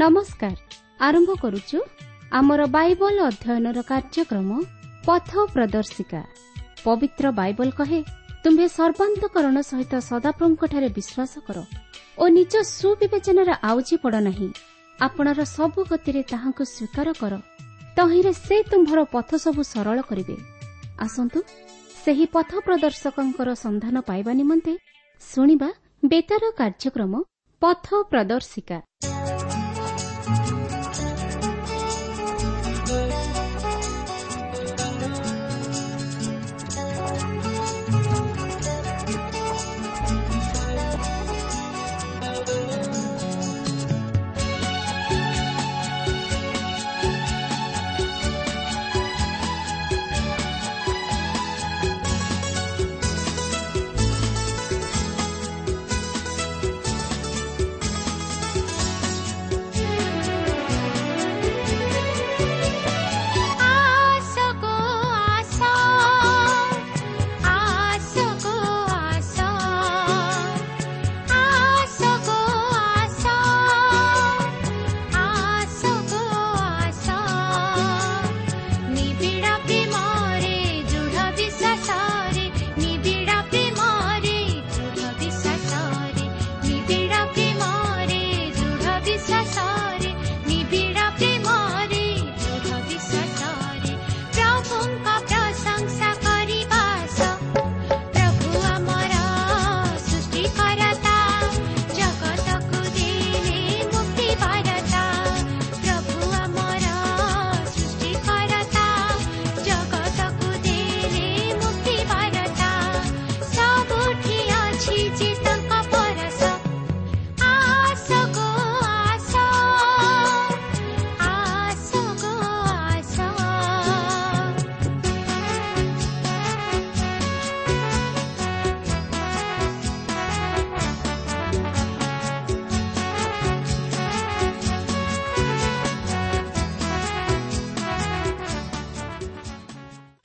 ନମସ୍କାର। ଆରମ୍ଭ କରୁଛୁ ଆମର ବାଇବଲ ଅଧ୍ୟୟନର କାର୍ଯ୍ୟକ୍ରମ ପଥ ପ୍ରଦର୍ଶିକା। ପବିତ୍ର ବାଇବଲ କହେ, ତୁମ୍ଭେ ସର୍ବାନ୍ତକରଣ ସହିତ ସଦାପ୍ରଭୁଙ୍କଠାରେ ବିଶ୍ୱାସ କର ଓ ନିଜ ସୁବିବେଚନାରେ ଆଉଜି ପଡ଼ ନାହିଁ। ଆପଣର ସବୁ ଗତିରେ ତାହାଙ୍କୁ ସ୍ୱୀକାର କର, ତହିଁରେ ସେ ତୁମ୍ଭର ପଥ ସବୁ ସରଳ କରିବେ। ଆସନ୍ତୁ ସେହି ପଥ ପ୍ରଦର୍ଶକଙ୍କର ସନ୍ଧାନ ପାଇବା ନିମନ୍ତେ ଶୁଣିବା ବେତାର କାର୍ଯ୍ୟକ୍ରମ ପଥ ପ୍ରଦର୍ଶିକା।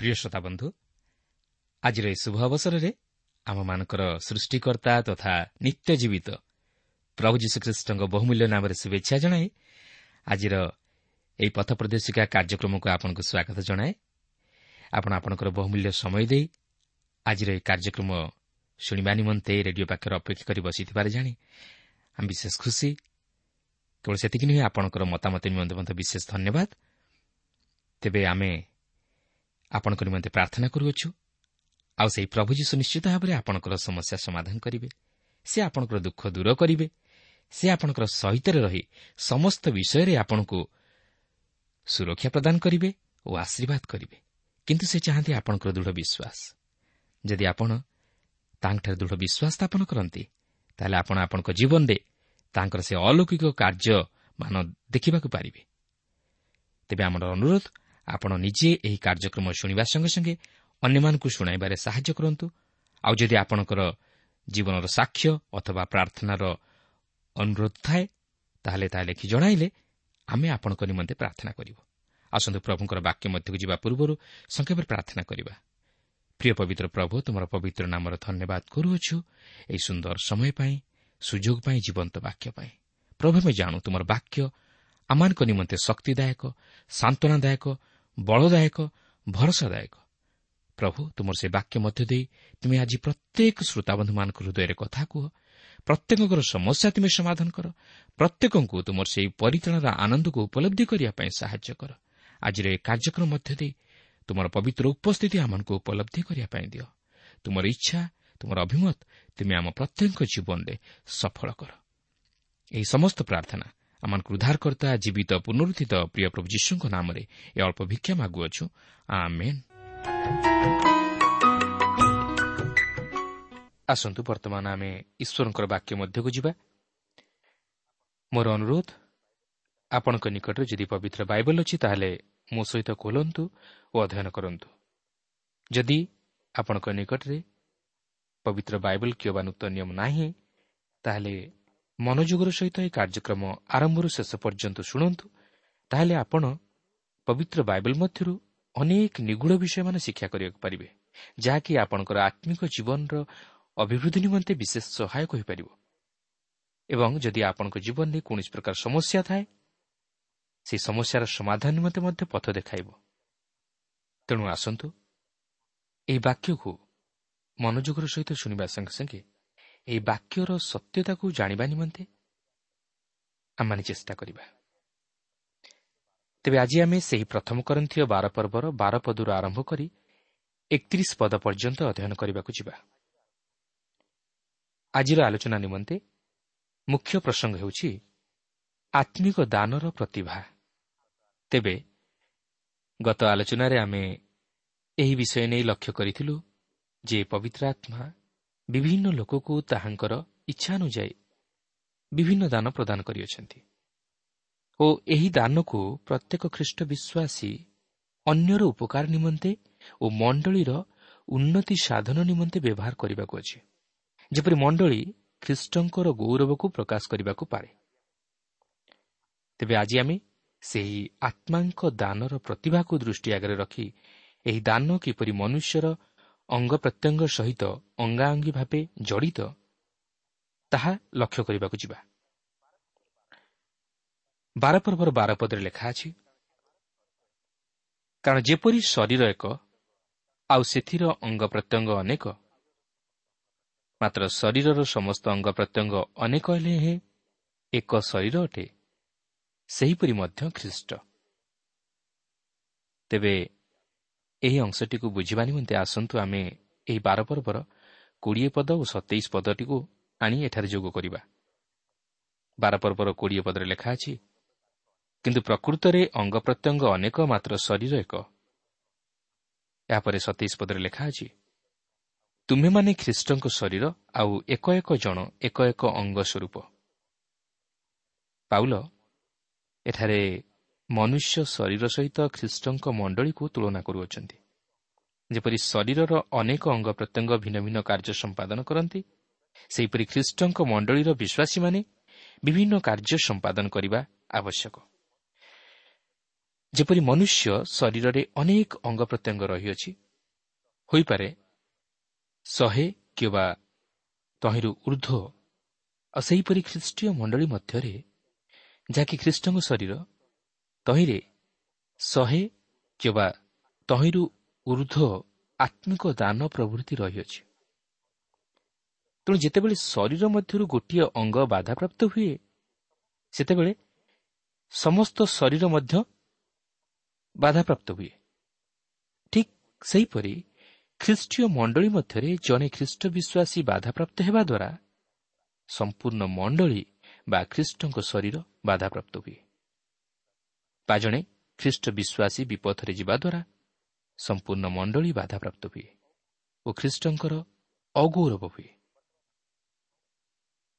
ପ୍ରିୟ ଶ୍ରୋତାବନ୍ଧୁ, ଆଜିର ଏହି ଶୁଭ ଅବସରରେ ଆମମାନଙ୍କର ସୃଷ୍ଟିକର୍ତ୍ତା ତଥା ନିତ୍ୟ ଜୀବିତ ପ୍ରଭୁ ଯୀଶୁଖ୍ରୀଷ୍ଟଙ୍କ ବହୁମୂଲ୍ୟ ନାମରେ ଶୁଭେଚ୍ଛା ଜଣାଇ ଆଜିର ଏହି ପଥ ପ୍ରଦର୍ଶିକା କାର୍ଯ୍ୟକ୍ରମକୁ ଆପଣଙ୍କୁ ସ୍ୱାଗତ ଜଣାଏ। ଆପଣ ଆପଣଙ୍କର ବହୁମୂଲ୍ୟ ସମୟ ଦେଇ ଆଜିର ଏହି କାର୍ଯ୍ୟକ୍ରମ ଶୁଣିବା ନିମନ୍ତେ ରେଡିଓ ପାଖରେ ଅପେକ୍ଷା କରି ବସିଥିବାର ଜାଣି ଆମେ ବିଶେଷ ଖୁସି। କେବଳ ସେତିକି ନୁହେଁ, ଆପଣଙ୍କର ମତାମତ ନିମନ୍ତେ ମଧ୍ୟ ବିଶେଷ ଧନ୍ୟବାଦ। ତେବେ ଆମେ ଆପଣଙ୍କ ନିମନ୍ତେ ପ୍ରାର୍ଥନା କରୁଅଛୁ, ଆଉ ସେହି ପ୍ରଭୁ ଯୀଶୁ ନିଶ୍ଚିତ ଭାବରେ ଆପଣଙ୍କର ସମସ୍ୟା ସମାଧାନ କରିବେ। ସେ ଆପଣଙ୍କର ଦୁଃଖ ଦୂର କରିବେ। ସେ ଆପଣଙ୍କର ସହିତରେ ରହି ସମସ୍ତ ବିଷୟରେ ଆପଣଙ୍କୁ ସୁରକ୍ଷା ପ୍ରଦାନ କରିବେ ଓ ଆଶୀର୍ବାଦ କରିବେ। କିନ୍ତୁ ସେ ଚାହାନ୍ତି ଆପଣଙ୍କର ଦୃଢ଼ ବିଶ୍ୱାସ। ଯଦି ଆପଣ ତାଙ୍କଠାରେ ଦୃଢ଼ ବିଶ୍ୱାସ ସ୍ଥାପନ କରନ୍ତି, ତାହେଲେ ଆପଣ ଆପଣଙ୍କ ଜୀବନରେ ତାଙ୍କର ସେ ଅଲୌକିକ କାର୍ଯ୍ୟମାନ ଦେଖିବାକୁ ପାରିବେ। ତେବେ ଆମର ଅନୁରୋଧ, ଆପଣ ନିଜେ ଏହି କାର୍ଯ୍ୟକ୍ରମ ଶୁଣିବା ସଙ୍ଗେ ସଙ୍ଗେ ଅନ୍ୟମାନଙ୍କୁ ଶୁଣାଇବାରେ ସାହାଯ୍ୟ କରନ୍ତୁ। ଆଉ ଯଦି ଆପଣଙ୍କର ଜୀବନର ସାକ୍ଷ୍ୟ ଅଥବା ପ୍ରାର୍ଥନାର ଅନୁରୋଧ ଥାଏ, ତାହେଲେ ତାହା ଲେଖି ଜଣାଇଲେ ଆମେ ଆପଣଙ୍କ ନିମନ୍ତେ ପ୍ରାର୍ଥନା କରିବୁ। ଆସନ୍ତୁ ପ୍ରଭୁଙ୍କର ବାକ୍ୟ ମଧ୍ୟକୁ ଯିବା ପୂର୍ବରୁ ସଂକ୍ଷେପରେ ପ୍ରାର୍ଥନା କରିବା। ପ୍ରିୟ ପବିତ୍ର ପ୍ରଭୁ, ତୁମର ପବିତ୍ର ନାମର ଧନ୍ୟବାଦ କରୁଅଛୁ ଏହି ସୁନ୍ଦର ସମୟ ପାଇଁ, ସୁଯୋଗ ପାଇଁ, ଜୀବନ୍ତ ବାକ୍ୟ ପାଇଁ। ପ୍ରଭୁ, ଆମେ ଜାଣୁ ତୁମର ବାକ୍ୟ ଆମମାନଙ୍କ ନିମନ୍ତେ ଶକ୍ତିଦାୟକ, ସାନ୍ତ୍ୱନାଦାୟକ, ବଳଦାୟକ, ଭରସାଦାୟକ। ପ୍ରଭୁ, ତୁମର ସେ ବାକ୍ୟ ମଧ୍ୟ ଦେଇ ତୁମେ ଆଜି ପ୍ରତ୍ୟେକ ଶ୍ରୋତାବନ୍ଧୁମାନଙ୍କ ହୃଦୟରେ କଥା କୁହ। ପ୍ରତ୍ୟେକଙ୍କର ସମସ୍ୟା ତୁମେ ସମାଧାନ କର। ପ୍ରତ୍ୟେକଙ୍କୁ ତୁମର ସେହି ପରିତ୍ରାଣର ଆନନ୍ଦକୁ ଉପଲବ୍ଧି କରିବା ପାଇଁ ସାହାଯ୍ୟ କର। ଆଜିର ଏ କାର୍ଯ୍ୟକ୍ରମ ମଧ୍ୟ ଦେଇ ତୁମର ପବିତ୍ର ଉପସ୍ଥିତି ଆମମାନଙ୍କୁ ଉପଲବ୍ଧି କରିବା ପାଇଁ ଦିଅ। ତୁମର ଇଚ୍ଛା, ତୁମର ଅଭିମତ ତୁମେ ଆମ ପ୍ରତ୍ୟେକଙ୍କ ଜୀବନରେ ସଫଳ କର। ଏହି ସମସ୍ତ ପ୍ରାର୍ଥନା ଆମମାନଙ୍କୁ ଉଦ୍ଧାରକର୍ତ୍ତା ଜୀବିତ ପୁନରୁତ୍ଥିତ ପ୍ରିୟ ପ୍ରଭୁ ଯୀଶୁଙ୍କ ନାମରେ ଏ ଅଳ୍ପ ଭିକ୍ଷା ମାଗୁଅଛୁ, ଆମେନ୍। ଆସନ୍ତୁ ବର୍ତ୍ତମାନ ଆମେ ଈଶ୍ୱରଙ୍କର ବାକ୍ୟ ମଧ୍ୟକୁ ଯିବା। ମୋର ଅନୁରୋଧ, ଆପଣଙ୍କ ନିକଟରେ ଯଦି ପବିତ୍ର ବାଇବଲ ଅଛି ତାହେଲେ ମୋ ସହିତ ଖୋଲନ୍ତୁ ଓ ଅଧ୍ୟୟନ କରନ୍ତୁ। ଯଦି ଆପଣଙ୍କ ନିକଟରେ ପବିତ୍ର ବାଇବଲ କିମ୍ବା ନୂତନ ନିୟମ ନାହିଁ, ତାହେଲେ ମନୋଯୋଗର ସହିତ ଏହି କାର୍ଯ୍ୟକ୍ରମ ଆରମ୍ଭରୁ ଶେଷ ପର୍ଯ୍ୟନ୍ତ ଶୁଣନ୍ତୁ। ତାହେଲେ ଆପଣ ପବିତ୍ର ବାଇବଲ ମଧ୍ୟରୁ ଅନେକ ନିଗୂଢ଼ ବିଷୟମାନ ଶିକ୍ଷା କରିବାକୁ ପାରିବେ, ଯାହାକି ଆପଣଙ୍କର ଆତ୍ମିକ ଜୀବନର ଅଭିବୃଦ୍ଧି ନିମନ୍ତେ ବିଶେଷ ସହାୟକ ହୋଇପାରିବ। ଏବଂ ଯଦି ଆପଣଙ୍କ ଜୀବନରେ କୌଣସି ପ୍ରକାର ସମସ୍ୟା ଥାଏ, ସେହି ସମସ୍ୟାର ସମାଧାନ ନିମନ୍ତେ ମଧ୍ୟ ପଥ ଦେଖାଇବ। ତେଣୁ ଆସନ୍ତୁ ଏହି ବାକ୍ୟକୁ ମନୋଯୋଗର ସହିତ ଶୁଣିବା ସଙ୍ଗେ ସଙ୍ଗେ ଏହି ବାକ୍ୟର ସତ୍ୟତାକୁ ଜାଣିବା ନିମନ୍ତେ ଆମମାନେ ଚେଷ୍ଟା କରିବା। ତେବେ ଆଜି ଆମେ ସେହି ପ୍ରଥମ କରିନ୍ଥୀୟ 12 ପର୍ବର 12 ପଦରୁ ଆରମ୍ଭ କରି 31 ପଦ ପର୍ଯ୍ୟନ୍ତ ଅଧ୍ୟୟନ କରିବାକୁ ଯିବା। ଆଜିର ଆଲୋଚନା ନିମନ୍ତେ ମୁଖ୍ୟ ପ୍ରସଙ୍ଗ ହେଉଛି ଆତ୍ମିକ ଦାନର ପ୍ରତିଭା। ତେବେ ଗତ ଆଲୋଚନାରେ ଆମେ ଏହି ବିଷୟ ନେଇ ଲକ୍ଷ୍ୟ କରିଥିଲୁ ଯେ ପବିତ୍ର ଆତ୍ମା ବିଭିନ୍ନ ଲୋକକୁ ତାହାଙ୍କର ଇଚ୍ଛା ଅନୁଯାୟୀ ବିଭିନ୍ନ ଦାନ ପ୍ରଦାନ କରିଅଛନ୍ତି ଓ ଏହି ଦାନକୁ ପ୍ରତ୍ୟେକ ଖ୍ରୀଷ୍ଟ ବିଶ୍ୱାସୀ ଅନ୍ୟର ଉପକାର ନିମନ୍ତେ ଓ ମଣ୍ଡଳୀର ଉନ୍ନତି ସାଧନ ନିମନ୍ତେ ବ୍ୟବହାର କରିବାକୁ ଅଛି, ଯେପରି ମଣ୍ଡଳୀ ଖ୍ରୀଷ୍ଟଙ୍କର ଗୌରବକୁ ପ୍ରକାଶ କରିବାକୁ ପାରେ। ତେବେ ଆଜି ଆମେ ସେହି ଆତ୍ମାଙ୍କ ଦାନର ପ୍ରତିଭାକୁ ଦୃଷ୍ଟି ଆଗରେ ରଖି ଏହି ଦାନ କିପରି ମନୁଷ୍ୟର ଅଙ୍ଗ ପ୍ରତ୍ୟଙ୍ଗ ସହିତ ଅଙ୍ଗାଅଙ୍ଗୀ ଭାବେ ଜଡ଼ିତ ତାହା ଲକ୍ଷ୍ୟ କରିବାକୁ ଯିବା। 12 ପର୍ବର 12 ପଦରେ ଲେଖା ଅଛି, କାରଣ ଯେପରି ଶରୀର ଏକ, ଆଉ ସେଥିର ଅଙ୍ଗ ପ୍ରତ୍ୟଙ୍ଗ ଅନେକ, ମାତ୍ର ଶରୀରର ସମସ୍ତ ଅଙ୍ଗ ପ୍ରତ୍ୟଙ୍ଗ ଅନେକ ହେଲେ ହେଁ ଏକ ଶରୀର ଅଟେ, ସେହିପରି ମଧ୍ୟ ଖ୍ରୀଷ୍ଟ। ତେବେ ଏହି ଅଂଶଟିକୁ ବୁଝିବା ନିମନ୍ତେ ଆସନ୍ତୁ ଆମେ ଏହି 12 ପର୍ବର 20 ପଦ ଓ 27 ପଦଟିକୁ ଆଣି ଏଠାରେ ଯୋଗ କରିବା। 12 ପର୍ବର 20 ପଦରେ ଲେଖା ଅଛି, କିନ୍ତୁ ପ୍ରକୃତରେ ଅଙ୍ଗ ପ୍ରତ୍ୟଙ୍ଗ ଅନେକ, ମାତ୍ର ଶରୀର ଏକ। ଏହାପରେ 27 ପଦରେ ଲେଖା ଅଛି, ତୁମ୍ଭେମାନେ ଖ୍ରୀଷ୍ଟଙ୍କ ଶରୀର, ଆଉ ଏକ ଏକ ଜଣ ଏକ ଏକ ଅଙ୍ଗ ସ୍ୱରୂପ। ପାଉଲ ଏଠାରେ ମନୁଷ୍ୟ ଶରୀର ସହିତ ଖ୍ରୀଷ୍ଟଙ୍କ ମଣ୍ଡଳୀକୁ ତୁଳନା କରୁଅଛନ୍ତି। ଯେପରି ଶରୀରର ଅନେକ ଅଙ୍ଗ ପ୍ରତ୍ୟଙ୍ଗ ଭିନ୍ନ ଭିନ୍ନ କାର୍ଯ୍ୟ ସମ୍ପାଦନ କରନ୍ତି, ସେହିପରି ଖ୍ରୀଷ୍ଟଙ୍କ ମଣ୍ଡଳୀର ବିଶ୍ୱାସୀମାନେ ବିଭିନ୍ନ କାର୍ଯ୍ୟ ସମ୍ପାଦନ କରିବା ଆବଶ୍ୟକ। ଯେପରି ମନୁଷ୍ୟ ଶରୀରରେ ଅନେକ ଅଙ୍ଗ ପ୍ରତ୍ୟଙ୍ଗ ରହିଅଛି, ହୋଇପାରେ 100 କିମ୍ବା ତହିଁରୁ ଉର୍ଦ୍ଧ୍ୱ, ଆଉ ସେହିପରି ଖ୍ରୀଷ୍ଟୀୟ ମଣ୍ଡଳୀ ମଧ୍ୟରେ, ଯାହାକି ଖ୍ରୀଷ୍ଟଙ୍କ ଶରୀର, ତହିଁରେ 100 କିମ୍ବା ତହିଁରୁ ଉର୍ଦ୍ଧ୍ୱ ଆତ୍ମିକ ଦାନ ପ୍ରଭୃତି ରହିଅଛି। ତେଣୁ ଯେତେବେଳେ ଶରୀର ମଧ୍ୟରୁ ଗୋଟିଏ ଅଙ୍ଗ ବାଧାପ୍ରାପ୍ତ ହୁଏ, ସେତେବେଳେ ସମସ୍ତ ଶରୀର ମଧ୍ୟ ବାଧାପ୍ରାପ୍ତ ହୁଏ। ଠିକ୍ ସେହିପରି ଖ୍ରୀଷ୍ଟୀୟ ମଣ୍ଡଳୀ ମଧ୍ୟରେ ଜଣେ ଖ୍ରୀଷ୍ଟ ବିଶ୍ୱାସୀ ବାଧାପ୍ରାପ୍ତ ହେବା ଦ୍ୱାରା ସମ୍ପୂର୍ଣ୍ଣ ମଣ୍ଡଳୀ ବା ଖ୍ରୀଷ୍ଟଙ୍କ ଶରୀର ବାଧାପ୍ରାପ୍ତ ହୁଏ, ବା ଜଣେ ଖ୍ରୀଷ୍ଟ ବିଶ୍ୱାସୀ ବିପଥରେ ଯିବା ଦ୍ୱାରା ସମ୍ପୂର୍ଣ୍ଣ ମଣ୍ଡଳୀ ବାଧାପ୍ରାପ୍ତ ହୁଏ ଓ ଖ୍ରୀଷ୍ଟଙ୍କର ଅଗୌରବ ହୁଏ।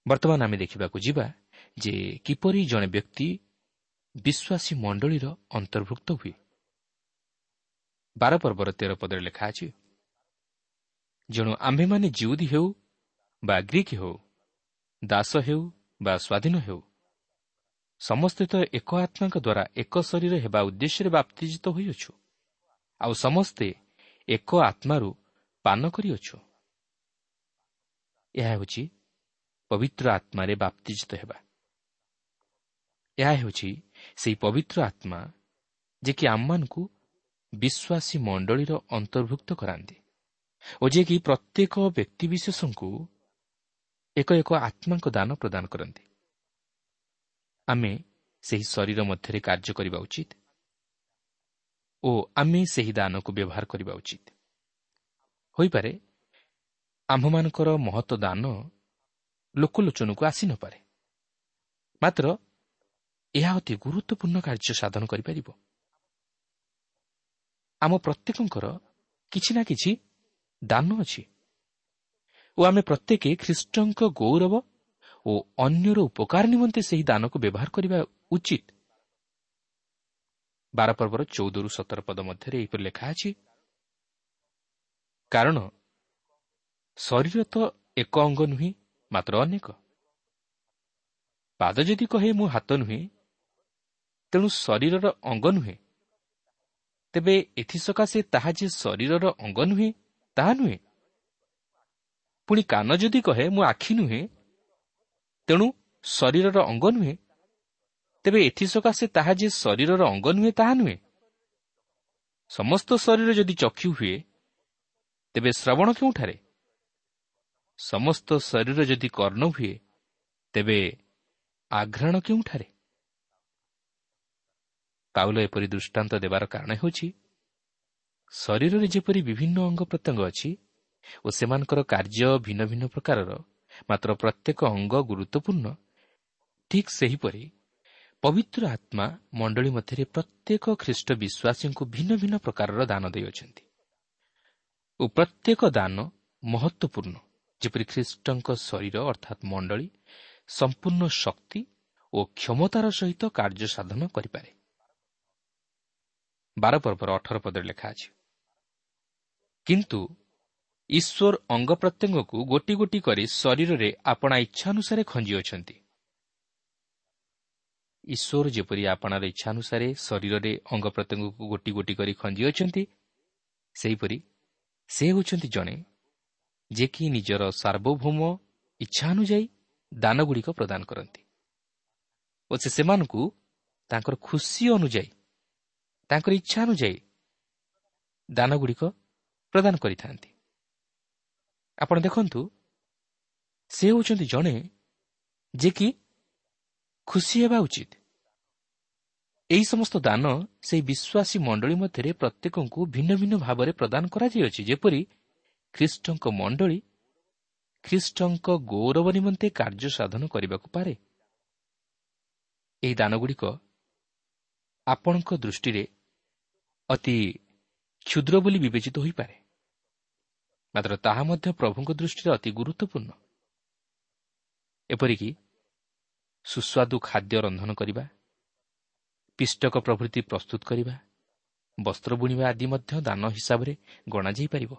ବର୍ତ୍ତମାନ ଆମେ ଦେଖିବାକୁ ଯିବା ଯେ କିପରି ଜଣେ ବ୍ୟକ୍ତି ବିଶ୍ୱାସୀ ମଣ୍ଡଳୀର ଅନ୍ତର୍ଭୁକ୍ତ ହୁଏ। 12 ପର୍ବର 13 ପଦରେ ଲେଖା ଅଛି, ଯେଣୁ ଆମ୍ଭେମାନେ ଜିଉଦୀ ହେଉ ବା ଗ୍ରୀକ୍ ହେଉ, ଦାସ ହେଉ ବା ସ୍ୱାଧୀନ ହେଉ, ସମସ୍ତେ ତ ଏକ ଆତ୍ମାଙ୍କ ଦ୍ୱାରା ଏକ ଶରୀର ହେବା ଉଦ୍ଦେଶ୍ୟରେ ବାପ୍ତିଜିତ ହୋଇଅଛୁ, ଆଉ ସମସ୍ତେ ଏକ ଆତ୍ମାରୁ ପାନ କରିଅଛୁ। ଏହା ହେଉଛି ପବିତ୍ର ଆତ୍ମାରେ ବାପ୍ତିଜିତ ହେବା। ଏହା ହେଉଛି ସେହି ପବିତ୍ର ଆତ୍ମା ଯେ କି ଆମମାନଙ୍କୁ ବିଶ୍ୱାସୀ ମଣ୍ଡଳୀର ଅନ୍ତର୍ଭୁକ୍ତ କରାନ୍ତି ଓ ଯିଏକି ପ୍ରତ୍ୟେକ ବ୍ୟକ୍ତିବିଶେଷଙ୍କୁ ଏକ ଏକ ଆତ୍ମାଙ୍କ ଦାନ ପ୍ରଦାନ କରନ୍ତି। ଆମେ ସେହି ଶରୀର ମଧ୍ୟରେ କାର୍ଯ୍ୟ କରିବା ଉଚିତ ଓ ଆମେ ସେହି ଦାନକୁ ବ୍ୟବହାର କରିବା ଉଚିତ। ହୋଇପାରେ ଆମ୍ଭମାନଙ୍କର ମହତ ଦାନ ଲୋକଲୋଚନକୁ ଆସିନପାରେ, ମାତ୍ର ଏହା ଅତି ଗୁରୁତ୍ୱପୂର୍ଣ୍ଣ କାର୍ଯ୍ୟ ସାଧନ କରିପାରିବ। ଆମ ପ୍ରତ୍ୟେକଙ୍କର କିଛି ନା କିଛି ଦାନ ଅଛି ଓ ଆମେ ପ୍ରତ୍ୟେକେ ଖ୍ରୀଷ୍ଟଙ୍କ ଗୌରବ ଓ ଅନ୍ୟର ଉପକାର ନିମନ୍ତେ ସେହି ଦାନକୁ ବ୍ୟବହାର କରିବା ଉଚିତ। 12 ପର୍ବର 14ରୁ 17 ପଦ ମଧ୍ୟରେ ଏହିପରି ଲେଖା ଅଛି, କାରଣ ଶରୀର ତ ଏକ ଅଙ୍ଗ ନୁହେଁ, ମାତ୍ର ଅନେକ। ପାଦ ଯଦି କହେ ମୁଁ ହାତ ନୁହେଁ, ତେଣୁ ଶରୀରର ଅଙ୍ଗ ନୁହେଁ, ତେବେ ଏଥିସକାଶେ ତାହା ଯେ ଶରୀରର ଅଙ୍ଗ ନୁହେଁ ତାହା ନୁହେଁ। ପୁଣି କାନ ଯଦି କହେ ମୁଁ ଆଖି ନୁହେଁ, ତେଣୁ ଶରୀରର ଅଙ୍ଗ ନୁହେଁ, ତେବେ ଏଥିସକାଶେ ତାହା ଯେ ଶରୀରର ଅଙ୍ଗ ନୁହେଁ ତାହା ନୁହେଁ। ସମସ୍ତ ଶରୀର ଯଦି ଚକ୍ଷୁ ହୁଏ, ତେବେ ଶ୍ରବଣ କେଉଁଠାରେ? ସମସ୍ତ ଶରୀର ଯଦି କର୍ଣ୍ଣ ହୁଏ, ତେବେ ଆଘ୍ରାଣ କେଉଁଠାରେ? ପାଉଲ ଏପରି ଦୃଷ୍ଟାନ୍ତ ଦେବାର କାରଣ ହେଉଛି, ଶରୀରରେ ଯେପରି ବିଭିନ୍ନ ଅଙ୍ଗ ପ୍ରତ୍ୟଙ୍ଗ ଅଛି ଓ ସେମାନଙ୍କର କାର୍ଯ୍ୟ ଭିନ୍ନ ଭିନ୍ନ ପ୍ରକାରର, ମାତ୍ର ପ୍ରତ୍ୟେକ ଅଙ୍ଗ ଗୁରୁତ୍ୱପୂର୍ଣ୍ଣ, ଠିକ୍ ସେହିପରି ପବିତ୍ର ଆତ୍ମା ମଣ୍ଡଳୀ ମଧ୍ୟରେ ପ୍ରତ୍ୟେକ ଖ୍ରୀଷ୍ଟ ବିଶ୍ୱାସୀଙ୍କୁ ଭିନ୍ନ ଭିନ୍ନ ପ୍ରକାରର ଦାନ ଦେଇଅଛନ୍ତି ଓ ପ୍ରତ୍ୟେକ ଦାନ ମହତ୍ୱପୂର୍ଣ୍ଣ, ଯେପରି ଖ୍ରୀଷ୍ଟଙ୍କ ଶରୀର ଅର୍ଥାତ୍ ମଣ୍ଡଳୀ ସମ୍ପୂର୍ଣ୍ଣ ଶକ୍ତି ଓ କ୍ଷମତାର ସହିତ କାର୍ଯ୍ୟ ସାଧନ କରିପାରେ। 12 ପର୍ବର 18 ପଦରେ ଲେଖା ଅଛି, କିନ୍ତୁ ଈଶ୍ୱର ଅଙ୍ଗ ପ୍ରତ୍ୟଙ୍ଗକୁ ଗୋଟି ଗୋଟି କରି ଶରୀରରେ ଆପଣା ଇଚ୍ଛାନୁସାରେ ଖଞ୍ଜିଅଛନ୍ତି। ଈଶ୍ୱର ଯେପରି ଆପଣାର ଇଚ୍ଛାନୁସାରେ ଶରୀରରେ ଅଙ୍ଗ ପ୍ରତ୍ୟଙ୍ଗକୁ ଗୋଟି ଗୋଟି କରି ଖଞ୍ଜିଅଛନ୍ତି, ସେହିପରି ସେ ହେଉଛନ୍ତି ଜଣେ ଯେ କି ନିଜର ସାର୍ବଭୌମ ଇଚ୍ଛା ଅନୁଯାୟୀ ଦାନଗୁଡ଼ିକ ପ୍ରଦାନ କରନ୍ତି ଓ ସେ ସେମାନଙ୍କୁ ତାଙ୍କର ଖୁସି ଅନୁଯାୟୀ, ତାଙ୍କର ଇଚ୍ଛା ଅନୁଯାୟୀ ଦାନଗୁଡ଼ିକ ପ୍ରଦାନ କରିଥାନ୍ତି। ଆପଣ ଦେଖନ୍ତୁ, ସେ ହେଉଛନ୍ତି ଜଣେ ଯେ କି ଖୁସି ହେବା ଉଚିତ। ଏହି ସମସ୍ତ ଦାନ ସେହି ବିଶ୍ୱାସୀ ମଣ୍ଡଳୀ ମଧ୍ୟରେ ପ୍ରତ୍ୟେକଙ୍କୁ ଭିନ୍ନ ଭିନ୍ନ ଭାବରେ ପ୍ରଦାନ କରାଯାଇଅଛି, ଯେପରି ଖ୍ରୀଷ୍ଟଙ୍କ ମଣ୍ଡଳୀ ଖ୍ରୀଷ୍ଟଙ୍କ ଗୌରବ ନିମନ୍ତେ କାର୍ଯ୍ୟ ସାଧନ କରିବାକୁ ପାରେ। ଏହି ଦାନଗୁଡ଼ିକ ଆପଣଙ୍କ ଦୃଷ୍ଟିରେ ଅତି କ୍ଷୁଦ୍ର ବୋଲି ବିବେଚିତ ହୋଇପାରେ, ମାତ୍ର ତାହା ମଧ୍ୟ ପ୍ରଭୁଙ୍କ ଦୃଷ୍ଟିରେ ଅତି ଗୁରୁତ୍ୱପୂର୍ଣ୍ଣ। ଏପରିକି ସୁସ୍ୱାଦୁ ଖାଦ୍ୟ ରନ୍ଧନ କରିବା, ପିଷ୍ଟକ ପ୍ରଭୃତି ପ୍ରସ୍ତୁତ କରିବା, ବସ୍ତ୍ର ବୁଣିବା ଆଦି ମଧ୍ୟ ଦାନ ହିସାବରେ ଗଣାଯାଇପାରିବ।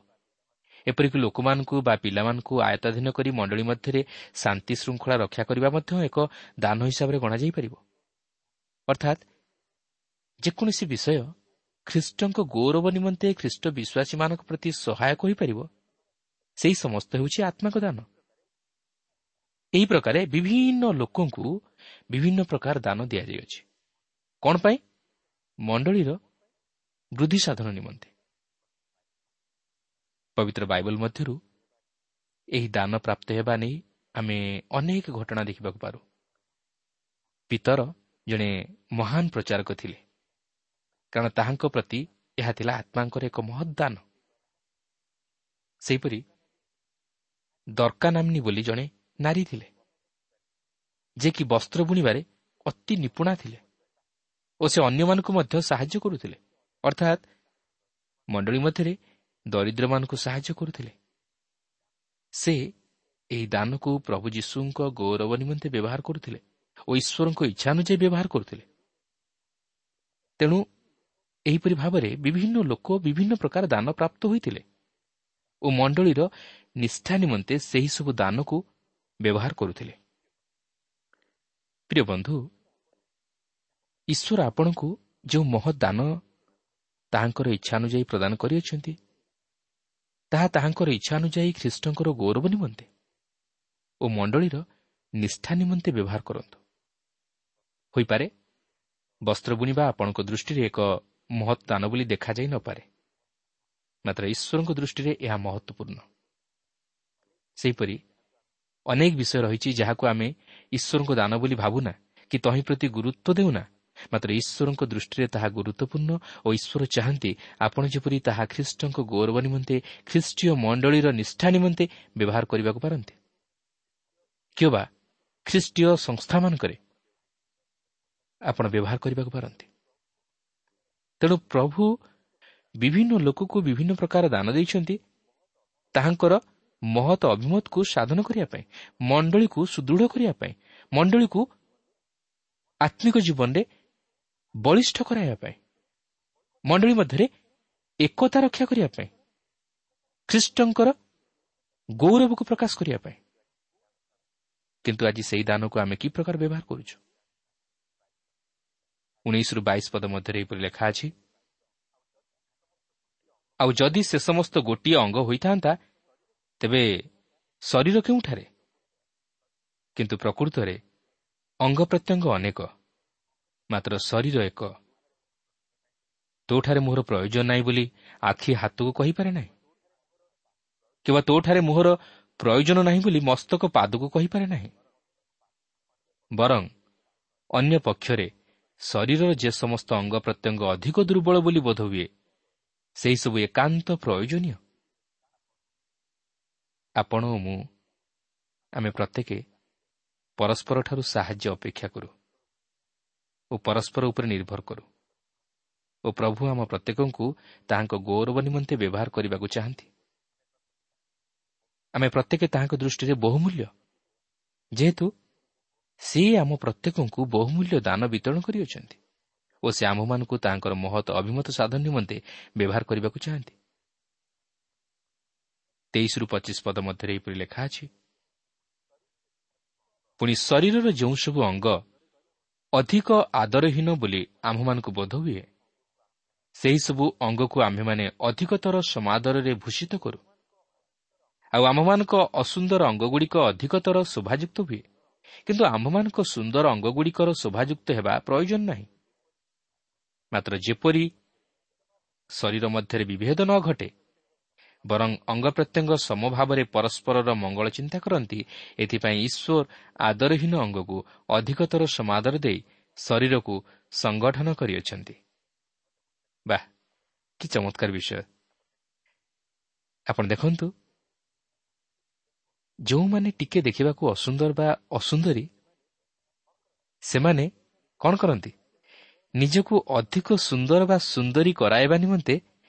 ଏପରିକି ଲୋକମାନଙ୍କୁ ବା ପିଲାମାନଙ୍କୁ ଆୟତ୍ତାଧୀନ କରି ମଣ୍ଡଳୀ ମଧ୍ୟରେ ଶାନ୍ତି ଶୃଙ୍ଖଳା ରକ୍ଷା କରିବା ମଧ୍ୟ ଏକ ଦାନ ହିସାବରେ ଗଣାଯାଇପାରିବ। ଅର୍ଥାତ୍ ଯେକୌଣସି ବିଷୟ ଖ୍ରୀଷ୍ଟଙ୍କ ଗୌରବ ନିମନ୍ତେ ଖ୍ରୀଷ୍ଟ ବିଶ୍ୱାସୀମାନଙ୍କ ପ୍ରତି ସହାୟକ ହୋଇପାରିବ, ସେହି ସମସ୍ତ ହେଉଛି ଆତ୍ମାଙ୍କ ଦାନ। ଏହି ପ୍ରକାରେ ବିଭିନ୍ନ ଲୋକଙ୍କୁ ବିଭିନ୍ନ ପ୍ରକାର ଦାନ ଦିଆଯାଇଅଛି। କ'ଣ ପାଇଁ? ମଣ୍ଡଳୀର ବୃଦ୍ଧି ସାଧନ ନିମନ୍ତେ। ପବିତ୍ର ବାଇବଲ ମଧ୍ୟରୁ ଏହି ଦାନ ପ୍ରାପ୍ତ ହେବା ନେଇ ଆମେ ଅନେକ ଘଟଣା ଦେଖିବାକୁ ପାରୁ। ପିତର ଜଣେ ମହାନ ପ୍ରଚାରକ ଥିଲେ, କାରଣ ତାହାଙ୍କ ପ୍ରତି ଏହା ଥିଲା ଆତ୍ମାଙ୍କର ଏକ ମହତ୍ ଦାନ। ସେହିପରି ଦର୍କା ନାମ୍ନୀ ବୋଲି ଜଣେ ନାରୀ ଥିଲେ, ଯେ କି ବସ୍ତ୍ର ବୁଣିବାରେ ଅତି ନିପୁଣା ଥିଲେ ଓ ସେ ଅନ୍ୟମାନଙ୍କୁ ମଧ୍ୟ ସାହାଯ୍ୟ କରୁଥିଲେ, ଅର୍ଥାତ୍ ମଣ୍ଡଳୀ ମଧ୍ୟରେ ଦରିଦ୍ରମାନଙ୍କୁ ସାହାଯ୍ୟ କରୁଥିଲେ। ସେ ଏହି ଦାନକୁ ପ୍ରଭୁ ଯୀଶୁଙ୍କ ଗୌରବ ନିମନ୍ତେ ବ୍ୟବହାର କରୁଥିଲେ ଓ ଈଶ୍ୱରଙ୍କ ଇଚ୍ଛା ଅନୁଯାୟୀ ବ୍ୟବହାର କରୁଥିଲେ। ତେଣୁ ଏହିପରି ଭାବରେ ବିଭିନ୍ନ ଲୋକ ବିଭିନ୍ନ ପ୍ରକାର ଦାନ ପ୍ରାପ୍ତ ହୋଇଥିଲେ ଓ ମଣ୍ଡଳୀର ନିଷ୍ଠା ନିମନ୍ତେ ସେହିସବୁ ଦାନକୁ ବ୍ୟବହାର କରୁଥିଲେ। ପ୍ରିୟ ବନ୍ଧୁ, ଈଶ୍ୱର ଆପଣଙ୍କୁ ଯେଉଁ ମହତ୍ ଦାନ ତାହାଙ୍କର ଇଚ୍ଛା ଅନୁଯାୟୀ ପ୍ରଦାନ କରିଅଛନ୍ତି, ତାହା ତାହାଙ୍କର ଇଚ୍ଛା ଅନୁଯାୟୀ ଖ୍ରୀଷ୍ଟଙ୍କର ଗୌରବ ନିମନ୍ତେ ଓ ମଣ୍ଡଳୀର ନିଷ୍ଠା ନିମନ୍ତେ ବ୍ୟବହାର କରନ୍ତୁ। ହୋଇପାରେ ବସ୍ତ୍ର ବୁଣିବା ଆପଣଙ୍କ ଦୃଷ୍ଟିରେ ଏକ ମହତ୍ ଦାନ ବୋଲି ଦେଖାଯାଇ ନପାରେ, ମାତ୍ର ଈଶ୍ୱରଙ୍କ ଦୃଷ୍ଟିରେ ଏହା ମହତ୍ୱପୂର୍ଣ୍ଣ। ସେହିପରି ଅନେକ ବିଷୟ ରହିଛି ଯାହାକୁ ଆମେ ଈଶ୍ୱରଙ୍କ ଦାନ ବୋଲି ଭାବୁନା କି ତହିଁ ପ୍ରତି ଗୁରୁତ୍ୱ ଦେଉନା, ମାତ୍ର ଈଶ୍ୱରଙ୍କ ଦୃଷ୍ଟିରେ ତାହା ଗୁରୁତ୍ୱପୂର୍ଣ୍ଣ ଓ ଈଶ୍ୱର ଚାହାନ୍ତି ଆପଣ ଯେପରି ତାହା ଖ୍ରୀଷ୍ଟଙ୍କ ଗୌରବ ନିମନ୍ତେ, ଖ୍ରୀଷ୍ଟୀୟ ମଣ୍ଡଳୀର ନିଷ୍ଠା ନିମନ୍ତେ ବ୍ୟବହାର କରିବାକୁ ପାରନ୍ତି, କିମ୍ବା ଖ୍ରୀଷ୍ଟୀୟ ସଂସ୍ଥାମାନଙ୍କରେ ଆପଣ ବ୍ୟବହାର କରିବାକୁ ପାରନ୍ତି। ତେଣୁ ପ୍ରଭୁ ବିଭିନ୍ନ ଲୋକକୁ ବିଭିନ୍ନ ପ୍ରକାର ଦାନ ଦେଇଛନ୍ତି ତାହାଙ୍କର ମହତ୍ ଅଭିମତକୁ ସାଧନ କରିବା ପାଇଁ, ମଣ୍ଡଳୀକୁ ସୁଦୃଢ଼ କରିବା ପାଇଁ, ମଣ୍ଡଳୀକୁ ଆତ୍ମିକ ଜୀବନରେ ବଳିଷ୍ଠ କରାଇବା ପାଇଁ, ମଣ୍ଡଳୀ ମଧ୍ୟରେ ଏକତା ରକ୍ଷା କରିବା ପାଇଁ, ଖ୍ରୀଷ୍ଟଙ୍କର ଗୌରବକୁ ପ୍ରକାଶ କରିବା ପାଇଁ। କିନ୍ତୁ ଆଜି ସେହି ଦାନକୁ ଆମେ କି ପ୍ରକାର ବ୍ୟବହାର କରୁଛୁ? 19-22 ପଦ ମଧ୍ୟରେ ଏହିପରି ଲେଖା ଅଛି, ଆଉ ଯଦି ସେ ସମସ୍ତ ଗୋଟିଏ ଅଙ୍ଗ ହୋଇଥାନ୍ତା ତେବେ ଶରୀର କେଉଁଠାରେ? କିନ୍ତୁ ପ୍ରକୃତରେ ଅଙ୍ଗ ପ୍ରତ୍ୟଙ୍ଗ ଅନେକ, ମାତ୍ର ଶରୀର ଏକ। ତୋଠାରେ ମୋହର ପ୍ରୟୋଜନ ନାହିଁ ବୋଲି ଆଖି ହାତକୁ କହିପାରେ ନାହିଁ, କିମ୍ବା ତୋଠାରେ ମୋହର ପ୍ରୟୋଜନ ନାହିଁ ବୋଲି ମସ୍ତକ ପାଦକୁ କହିପାରେ ନାହିଁ। ବରଂ ଅନ୍ୟ ପକ୍ଷରେ ଶରୀରର ଯେ ସମସ୍ତ ଅଙ୍ଗ ପ୍ରତ୍ୟଙ୍ଗ ଅଧିକ ଦୁର୍ବଳ ବୋଲି ବୋଧ ହୁଏ, ସେହିସବୁ ଏକାନ୍ତ ପ୍ରୟୋଜନୀୟ। ଆପଣ ଓ ମୁଁ ଆମେ ପ୍ରତ୍ୟେକ ପରସ୍ପରଠାରୁ ସାହାଯ୍ୟ ଅପେକ୍ଷା କରୁ ଓ ପରସ୍ପର ଉପରେ ନିର୍ଭର କରୁ ଓ ପ୍ରଭୁ ଆମ ପ୍ରତ୍ୟେକଙ୍କୁ ତାହାଙ୍କ ଗୌରବ ନିମନ୍ତେ ବ୍ୟବହାର କରିବାକୁ ଚାହାନ୍ତି। ଆମେ ପ୍ରତ୍ୟେକ ତାହାଙ୍କ ଦୃଷ୍ଟିରେ ବହୁମୂଲ୍ୟ, ଯେହେତୁ ସେ ଆମ ପ୍ରତ୍ୟେକଙ୍କୁ ବହୁମୂଲ୍ୟ ଦାନ ବିତରଣ କରିଅଛନ୍ତି ଓ ସେ ଆମ୍ଭମାନଙ୍କୁ ତାହାଙ୍କର ମହତ୍ ଅଭିମତ ସାଧନ ନିମନ୍ତେ ବ୍ୟବହାର କରିବାକୁ ଚାହାନ୍ତି। 23ରୁ 25 ପଦ ମଧ୍ୟରେ ଏହିପରି ଲେଖା ଅଛି, ପୁଣି ଶରୀରର ଯେଉଁ ସବୁ ଅଙ୍ଗ ଅଧିକ ଆଦରହୀନ ବୋଲି ଆମ୍ଭମାନଙ୍କୁ ବୋଧ ହୁଏ, ସେହିସବୁ ଅଙ୍ଗକୁ ଆମ୍ଭେମାନେ ଅଧିକତର ସମାଦରରେ ଭୂଷିତ କରୁ, ଆଉ ଆମ୍ଭମାନଙ୍କ ଅସୁନ୍ଦର ଅଙ୍ଗଗୁଡ଼ିକ ଅଧିକତର ଶୋଭାଯୁକ୍ତ ହୁଏ। କିନ୍ତୁ ଆମ୍ଭମାନଙ୍କ ସୁନ୍ଦର ଅଙ୍ଗଗୁଡ଼ିକର ଶୋଭାଯୁକ୍ତ ହେବା ପ୍ରୟୋଜନ ନାହିଁ। ମାତ୍ର ଯେପରି ଶରୀର ମଧ୍ୟରେ ବିଭେଦ ନ ଘଟେ, ବରଂ ଅଙ୍ଗ ପ୍ରତ୍ୟଙ୍ଗ ସମଭାବରେ ପରସ୍ପରର ମଙ୍ଗଳ ଚିନ୍ତା କରନ୍ତି, ଏଥିପାଇଁ ଈଶ୍ୱର ଆଦରହୀନ ଅଙ୍ଗକୁ ଅଧିକତର ସମାଦର ଦେଇ ଶରୀରକୁ ସଂଗଠନ କରିଅଛନ୍ତି। ବାଃ, କି ଚମତ୍କାର ବିଷୟ! ଆପଣ ଦେଖନ୍ତୁ, ଯେଉଁମାନେ ଟିକେ ଦେଖିବାକୁ ଅସୁନ୍ଦର ବା ଅସୁନ୍ଦରୀ, ସେମାନେ କ'ଣ କରନ୍ତି? ନିଜକୁ ଅଧିକ ସୁନ୍ଦର ବା ସୁନ୍ଦରୀ କରାଇବା ନିମନ୍ତେ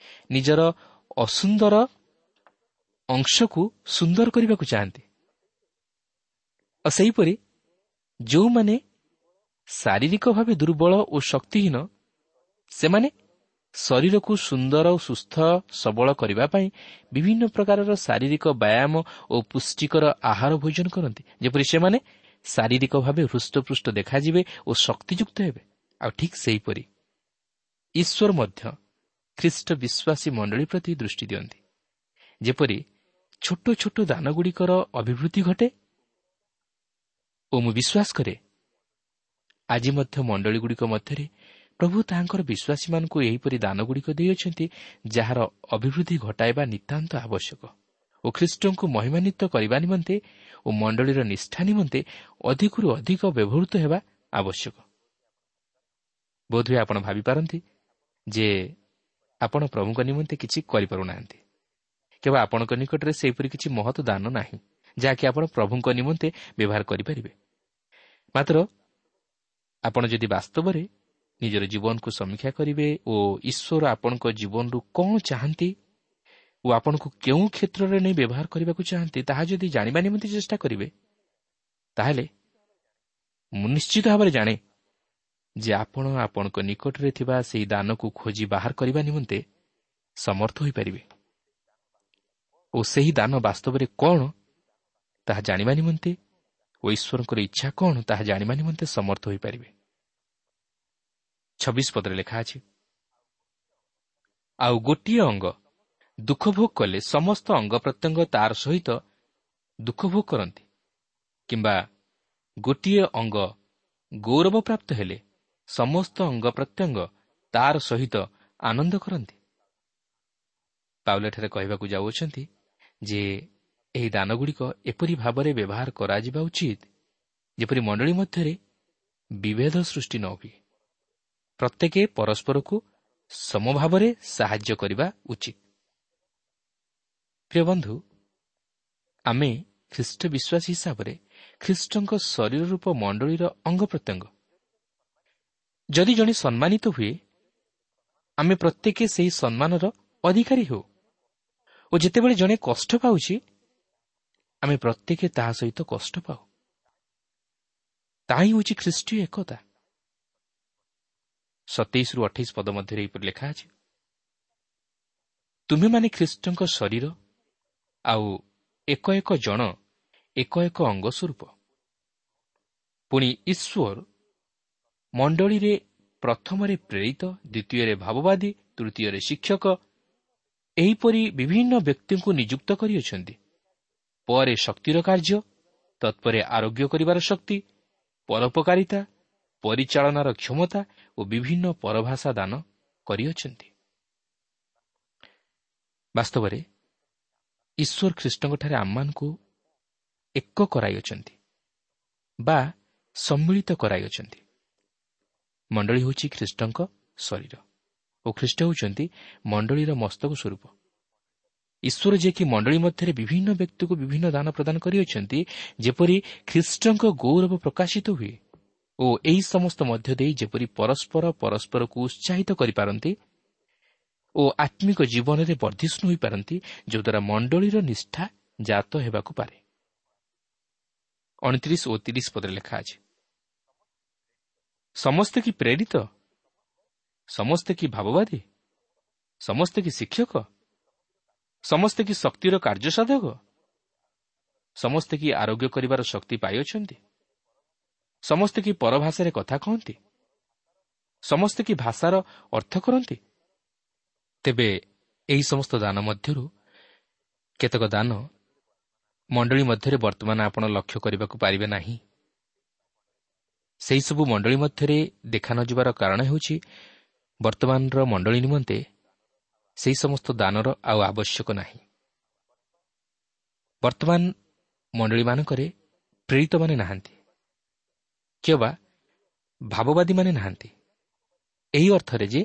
ନିଜର ଅସୁନ୍ଦର ଅଂଶକୁ ସୁନ୍ଦର କରିବାକୁ ଚାହାନ୍ତି। ଆଉ ସେହିପରି ଯେଉଁମାନେ ଶାରୀରିକ ଭାବେ ଦୁର୍ବଳ ଓ ଶକ୍ତିହୀନ, ସେମାନେ ଶରୀରକୁ ସୁନ୍ଦର ଓ ସୁସ୍ଥ ସବଳ କରିବା ପାଇଁ ବିଭିନ୍ନ ପ୍ରକାରର ଶାରୀରିକ ବ୍ୟାୟାମ ଓ ପୁଷ୍ଟିକର ଆହାର ଭୋଜନ କରନ୍ତି, ଯେପରି ସେମାନେ ଶାରୀରିକ ଭାବେ ହୃଷ୍ଟପୃଷ୍ଟ ଦେଖାଯିବେ ଓ ଶକ୍ତିଯୁକ୍ତ ହେବେ। ଆଉ ଠିକ୍ ସେହିପରି ଈଶ୍ୱର ମଧ୍ୟ ଖ୍ରୀଷ୍ଟ ବିଶ୍ୱାସୀ ମଣ୍ଡଳୀ ପ୍ରତି ଦୃଷ୍ଟି ଦିଅନ୍ତି, ଯେପରି ଛୋଟ ଛୋଟ ଦାନଗୁଡ଼ିକର ଅଭିବୃଦ୍ଧି ଘଟେ। ଓ ମୁଁ ବିଶ୍ୱାସ କରେ, ଆଜି ମଧ୍ୟ ମଣ୍ଡଳୀଗୁଡ଼ିକ ମଧ୍ୟରେ ପ୍ରଭୁ ତାହାଙ୍କର ବିଶ୍ୱାସୀମାନଙ୍କୁ ଏହିପରି ଦାନଗୁଡ଼ିକ ଦେଇଅଛନ୍ତି, ଯାହାର ଅଭିବୃଦ୍ଧି ଘଟାଇବା ନିତାନ୍ତ ଆବଶ୍ୟକ ଓ ଖ୍ରୀଷ୍ଟଙ୍କୁ ମହିମାନ୍ୱିତ କରିବା ନିମନ୍ତେ ଓ ମଣ୍ଡଳୀର ନିଷ୍ଠା ନିମନ୍ତେ ଅଧିକରୁ ଅଧିକ ବ୍ୟବହୃତ ହେବା ଆବଶ୍ୟକ। ବୋଧହୁଏ ଆପଣ ଭାବିପାରନ୍ତି ଯେ ଆପଣ ପ୍ରଭୁଙ୍କ ନିମନ୍ତେ କିଛି କରିପାରୁନାହାନ୍ତି, କେବଳ ଆପଣଙ୍କ ନିକଟରେ ସେହିପରି କିଛି ମହତ ଦାନ ନାହିଁ, ଯାହାକି ଆପଣ ପ୍ରଭୁଙ୍କ ନିମନ୍ତେ ବ୍ୟବହାର କରିପାରିବେ। ମାତ୍ର ଆପଣ ଯଦି ବାସ୍ତବରେ ନିଜର ଜୀବନକୁ ସମୀକ୍ଷା କରିବେ ଓ ଈଶ୍ୱର ଆପଣଙ୍କ ଜୀବନରୁ କ'ଣ ଚାହାନ୍ତି ଓ ଆପଣଙ୍କୁ କେଉଁ କ୍ଷେତ୍ରରେ ନେଇ ବ୍ୟବହାର କରିବାକୁ ଚାହାନ୍ତି, ତାହା ଯଦି ଜାଣିବା ନିମନ୍ତେ ଚେଷ୍ଟା କରିବେ, ତାହେଲେ ମୁଁ ନିଶ୍ଚିତ ଭାବରେ ଜାଣେ ଯେ ଆପଣ ଆପଣଙ୍କ ନିକଟରେ ଥିବା ସେହି ଦାନକୁ ଖୋଜି ବାହାର କରିବା ନିମନ୍ତେ ସମର୍ଥ ହୋଇପାରିବେ ଓ ସେହି ଦାନ ବାସ୍ତବରେ କ'ଣ ତାହା ଜାଣିବା ନିମନ୍ତେ ଓ ଈଶ୍ୱରଙ୍କର ଇଚ୍ଛା କ'ଣ ତାହା ଜାଣିବା ନିମନ୍ତେ ସମର୍ଥ ହୋଇପାରିବେ। 26 ପଦରେ ଲେଖା ଅଛି, ଆଉ ଗୋଟିଏ ଅଙ୍ଗ ଦୁଃଖ ଭୋଗ କଲେ ସମସ୍ତ ଅଙ୍ଗ ପ୍ରତ୍ୟଙ୍ଗ ତାର ସହିତ ଦୁଃଖ ଭୋଗ କରନ୍ତି, କିମ୍ବା ଗୋଟିଏ ଅଙ୍ଗ ଗୌରବ ପ୍ରାପ୍ତ ହେଲେ ସମସ୍ତ ଅଙ୍ଗ ପ୍ରତ୍ୟଙ୍ଗ ତାର ସହିତ ଆନନ୍ଦ କରନ୍ତି। ପାଉଲ ଏଠାରେ କହିବାକୁ ଯାଉଅଛନ୍ତି ଯେ ଏହି ଦାନଗୁଡ଼ିକ ଏପରି ଭାବରେ ବ୍ୟବହାର କରାଯିବା ଉଚିତ, ଯେପରି ମଣ୍ଡଳୀ ମଧ୍ୟରେ ବିଭେଦ ସୃଷ୍ଟି ନ ହୁଏ। ପ୍ରତ୍ୟେକ ପରସ୍ପରକୁ ସମଭାବରେ ସାହାଯ୍ୟ କରିବା ଉଚିତ। ପ୍ରିୟ ବନ୍ଧୁ, ଆମେ ଖ୍ରୀଷ୍ଟ ବିଶ୍ୱାସୀ ହିସାବରେ ଖ୍ରୀଷ୍ଟଙ୍କ ଶରୀର ରୂପ ମଣ୍ଡଳୀର ଅଙ୍ଗ ପ୍ରତ୍ୟଙ୍ଗ। ଯଦି ଜଣେ ସମ୍ମାନିତ ହୁଏ, ଆମେ ପ୍ରତ୍ୟେକ ସେହି ସମ୍ମାନର ଅଧିକାରୀ ହେଉ ଓ ଯେତେବେଳେ ଜଣେ କଷ୍ଟ ପାଉଛି, ଆମେ ପ୍ରତ୍ୟେକ ତାହା ସହିତ କଷ୍ଟ ପାଉ। ତାହା ହିଁ ହେଉଛି ଖ୍ରୀଷ୍ଟୀୟ ଏକତା। 27ରୁ 28 ପଦ ମଧ୍ୟରେ ଏହିପରି ଲେଖା ଅଛି, ତୁମେମାନେ ଖ୍ରୀଷ୍ଟଙ୍କ ଶରୀର ଆଉ ଏକ ଏକ ଜଣ ଏକ ଏକ ଅଙ୍ଗ ସ୍ୱରୂପ। ପୁଣି ଈଶ୍ୱର ମଣ୍ଡଳୀରେ ପ୍ରଥମରେ ପ୍ରେରିତ, ଦ୍ୱିତୀୟରେ ଭାବବାଦୀ, ତୃତୀୟରେ ଶିକ୍ଷକ, ଏହିପରି ବିଭିନ୍ନ ବ୍ୟକ୍ତିଙ୍କୁ ନିଯୁକ୍ତ କରିଅଛନ୍ତି। ପରେ ଶକ୍ତିର କାର୍ଯ୍ୟ, ତତ୍ପରେ ଆରୋଗ୍ୟ କରିବାର ଶକ୍ତି, ପରୋପକାରିତା, ପରିଚାଳନାର କ୍ଷମତା ଓ ବିଭିନ୍ନ ପରଭାଷା ଦାନ କରିଅଛନ୍ତି। ବାସ୍ତବରେ ଈଶ୍ୱର ଖ୍ରୀଷ୍ଟଙ୍କଠାରେ ଆମମାନଙ୍କୁ ଏକ କରାଇଅଛନ୍ତି ବା ସମ୍ମିଳିତ କରାଇଅଛନ୍ତି। ମଣ୍ଡଳୀ ହେଉଛି ଖ୍ରୀଷ୍ଟଙ୍କ ଶରୀର ଓ ଖ୍ରୀଷ୍ଟ ହେଉଛନ୍ତି ମଣ୍ଡଳୀର ମସ୍ତକ ସ୍ୱରୂପ। ଈଶ୍ୱର ଯିଏକି ମଣ୍ଡଳୀ ମଧ୍ୟରେ ବିଭିନ୍ନ ବ୍ୟକ୍ତିକୁ ବିଭିନ୍ନ ଦାନ ପ୍ରଦାନ କରିଅଛନ୍ତି, ଯେପରି ଖ୍ରୀଷ୍ଟଙ୍କ ଗୌରବ ପ୍ରକାଶିତ ହୁଏ ଓ ଏହି ସମସ୍ତ ମଧ୍ୟ ଦେଇ ଯେପରି ପରସ୍ପର ପରସ୍ପରକୁ ଉତ୍ସାହିତ କରିପାରନ୍ତି ଓ ଆତ୍ମିକ ଜୀବନରେ ବର୍ଦ୍ଧିଷ୍ଣୁ ହୋଇପାରନ୍ତି, ଯଦ୍ୱାରା ମଣ୍ଡଳୀର ନିଷ୍ଠା ଜାତ ହେବାକୁ ପାରେ। 29 ଓ 30 ପଦରେ ଲେଖା ଅଛି, ସମସ୍ତେ କି ପ୍ରେରିତ? ସମସ୍ତେ କି ଭାବବାଦୀ? ସମସ୍ତେ କି ଶିକ୍ଷକ? ସମସ୍ତେ କି ଶକ୍ତିର କାର୍ଯ୍ୟସାଧକ? ସମସ୍ତେ କି ଆରୋଗ୍ୟ କରିବାର ଶକ୍ତି ପାଇଅଛନ୍ତି? ସମସ୍ତେ କି ପରଭାଷାରେ କଥା କହନ୍ତି? ସମସ୍ତେ କି ଭାଷାର ଅର୍ଥ କରନ୍ତି? ତେବେ ଏହି ସମସ୍ତ ଦାନ ମଧ୍ୟରୁ କେତେକ ଦାନ ମଣ୍ଡଳୀ ମଧ୍ୟରେ ବର୍ତ୍ତମାନ ଆପଣ ଲକ୍ଷ୍ୟ କରିବାକୁ ପାରିବେ ନାହିଁ। ସେହିସବୁ ମଣ୍ଡଳୀ ମଧ୍ୟରେ ଦେଖା ନଯିବାର କାରଣ ହେଉଛି ବର୍ତ୍ତମାନର ମଣ୍ଡଳୀ ନିମନ୍ତେ ସେହି ସମସ୍ତ ଦାନର ଆଉ ଆବଶ୍ୟକ ନାହିଁ। ବର୍ତ୍ତମାନ ମଣ୍ଡଳୀମାନଙ୍କରେ ପ୍ରେରିତମାନେ ନାହାନ୍ତି କିମ୍ବା ଭାବବାଦୀମାନେ ନାହାନ୍ତି, ଏହି ଅର୍ଥରେ ଯେ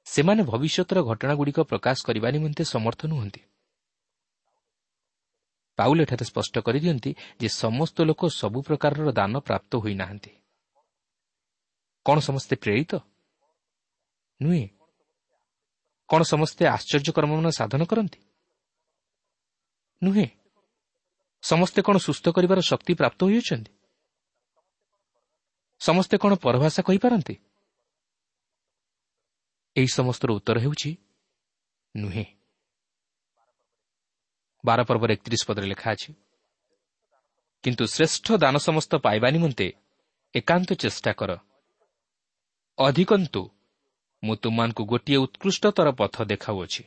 ସେମାନେ ଭବିଷ୍ୟତର ଘଟଣାଗୁଡ଼ିକ ପ୍ରକାଶ କରିବା ନିମନ୍ତେ ସମର୍ଥ ନୁହନ୍ତି। ପାଉଲ ଏଠାରେ ସ୍ପଷ୍ଟ କରିଦିଅନ୍ତି ଯେ ସମସ୍ତ ଲୋକ ସବୁ ପ୍ରକାରର ଦାନ ପ୍ରାପ୍ତ ହୋଇନାହାନ୍ତି। କ'ଣ ସମସ୍ତେ ପ୍ରେରିତ? ନୁହେଁ। କ'ଣ ସମସ୍ତେ ଆଶ୍ଚର୍ଯ୍ୟକର୍ମମାନ ସାଧନ କରନ୍ତି? ନୁହେଁ। ସମସ୍ତେ କ'ଣ ସୁସ୍ଥ କରିବାର ଶକ୍ତି ପ୍ରାପ୍ତ ହୋଇଅଛନ୍ତି? ସମସ୍ତେ କ'ଣ ପରଭାଷା କହିପାରନ୍ତି? ଏହି ସମସ୍ତର ଉତ୍ତର ହେଉଛି ନୁହେଁ। 12 ପର୍ବର 31 ପଦରେ ଲେଖା ଅଛି, କିନ୍ତୁ ଶ୍ରେଷ୍ଠ ଦାନ ସମସ୍ତ ପାଇବା ନିମନ୍ତେ ଏକାନ୍ତ ଚେଷ୍ଟା କର। ଅଧିକନ୍ତୁ ମୁଁ ତୁମମାନଙ୍କୁ ଗୋଟିଏ ଉତ୍କୃଷ୍ଟତର ପଥ ଦେଖାଉଅଛି।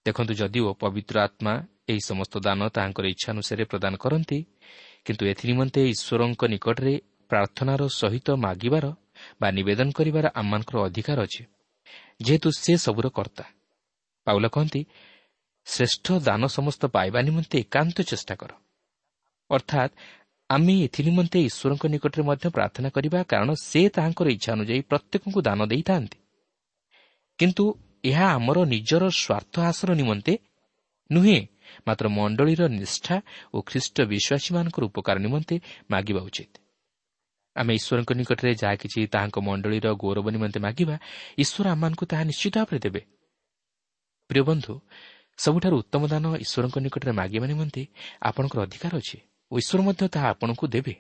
ଦେଖନ୍ତୁ, ଯଦିଓ ପବିତ୍ର ଆତ୍ମା ଏହି ସମସ୍ତ ଦାନ ତାହାଙ୍କର ଇଚ୍ଛାନୁସାରେ ପ୍ରଦାନ କରନ୍ତି, କିନ୍ତୁ ଏଥିନିମନ୍ତେ ଈଶ୍ୱରଙ୍କ ନିକଟରେ ପ୍ରାର୍ଥନାର ସହିତ ମାଗିବାର ବା ନିବେଦନ କରିବାର ଆମମାନଙ୍କର ଅଧିକାର ଅଛି, ଯେହେତୁ ସେ ସବୁର କର୍ତ୍ତା। ପାଉଲ କହନ୍ତି, ଶ୍ରେଷ୍ଠ ଦାନ ସମସ୍ତ ପାଇବା ନିମନ୍ତେ ଏକାନ୍ତ ଚେଷ୍ଟା କର। ଅର୍ଥାତ୍ ଆମେ ଏଥିନିମନ୍ତେ ଈଶ୍ୱରଙ୍କ ନିକଟରେ ମଧ୍ୟ ପ୍ରାର୍ଥନା କରିବା, କାରଣ ସେ ତାହାଙ୍କର ଇଚ୍ଛା ଅନୁଯାୟୀ ପ୍ରତ୍ୟେକଙ୍କୁ ଦାନ ଦେଇଥାନ୍ତି। କିନ୍ତୁ ଏହା ଆମର ନିଜର ସ୍ୱାର୍ଥ ହାସଲ ନିମନ୍ତେ ନୁହେଁ, ମାତ୍ର ମଣ୍ଡଳୀର ନିଷ୍ଠା ଓ ଖ୍ରୀଷ୍ଟ ବିଶ୍ୱାସୀମାନଙ୍କର ଉପକାର ନିମନ୍ତେ ମାଗିବା ଉଚିତ। ଆମେ ଈଶ୍ୱରଙ୍କ ନିକଟରେ ଯାହା କିଛି ତାହାଙ୍କ ମଣ୍ଡଳୀର ଗୌରବ ନିମନ୍ତେ ମାଗିବା, ଈଶ୍ୱର ଆମମାନଙ୍କୁ ତାହା ନିଶ୍ଚିତ ଭାବରେ ଦେବେ। ପ୍ରିୟ ବନ୍ଧୁ, ସବୁଠାରୁ ଉତ୍ତମ ଦାନ ଈଶ୍ୱରଙ୍କ ନିକଟରେ ମାଗିବା ନିମନ୍ତେ ଆପଣଙ୍କର ଅଧିକାର ଅଛି ଓ ଈଶ୍ୱର ମଧ୍ୟ ତାହା ଆପଣଙ୍କୁ ଦେବେ,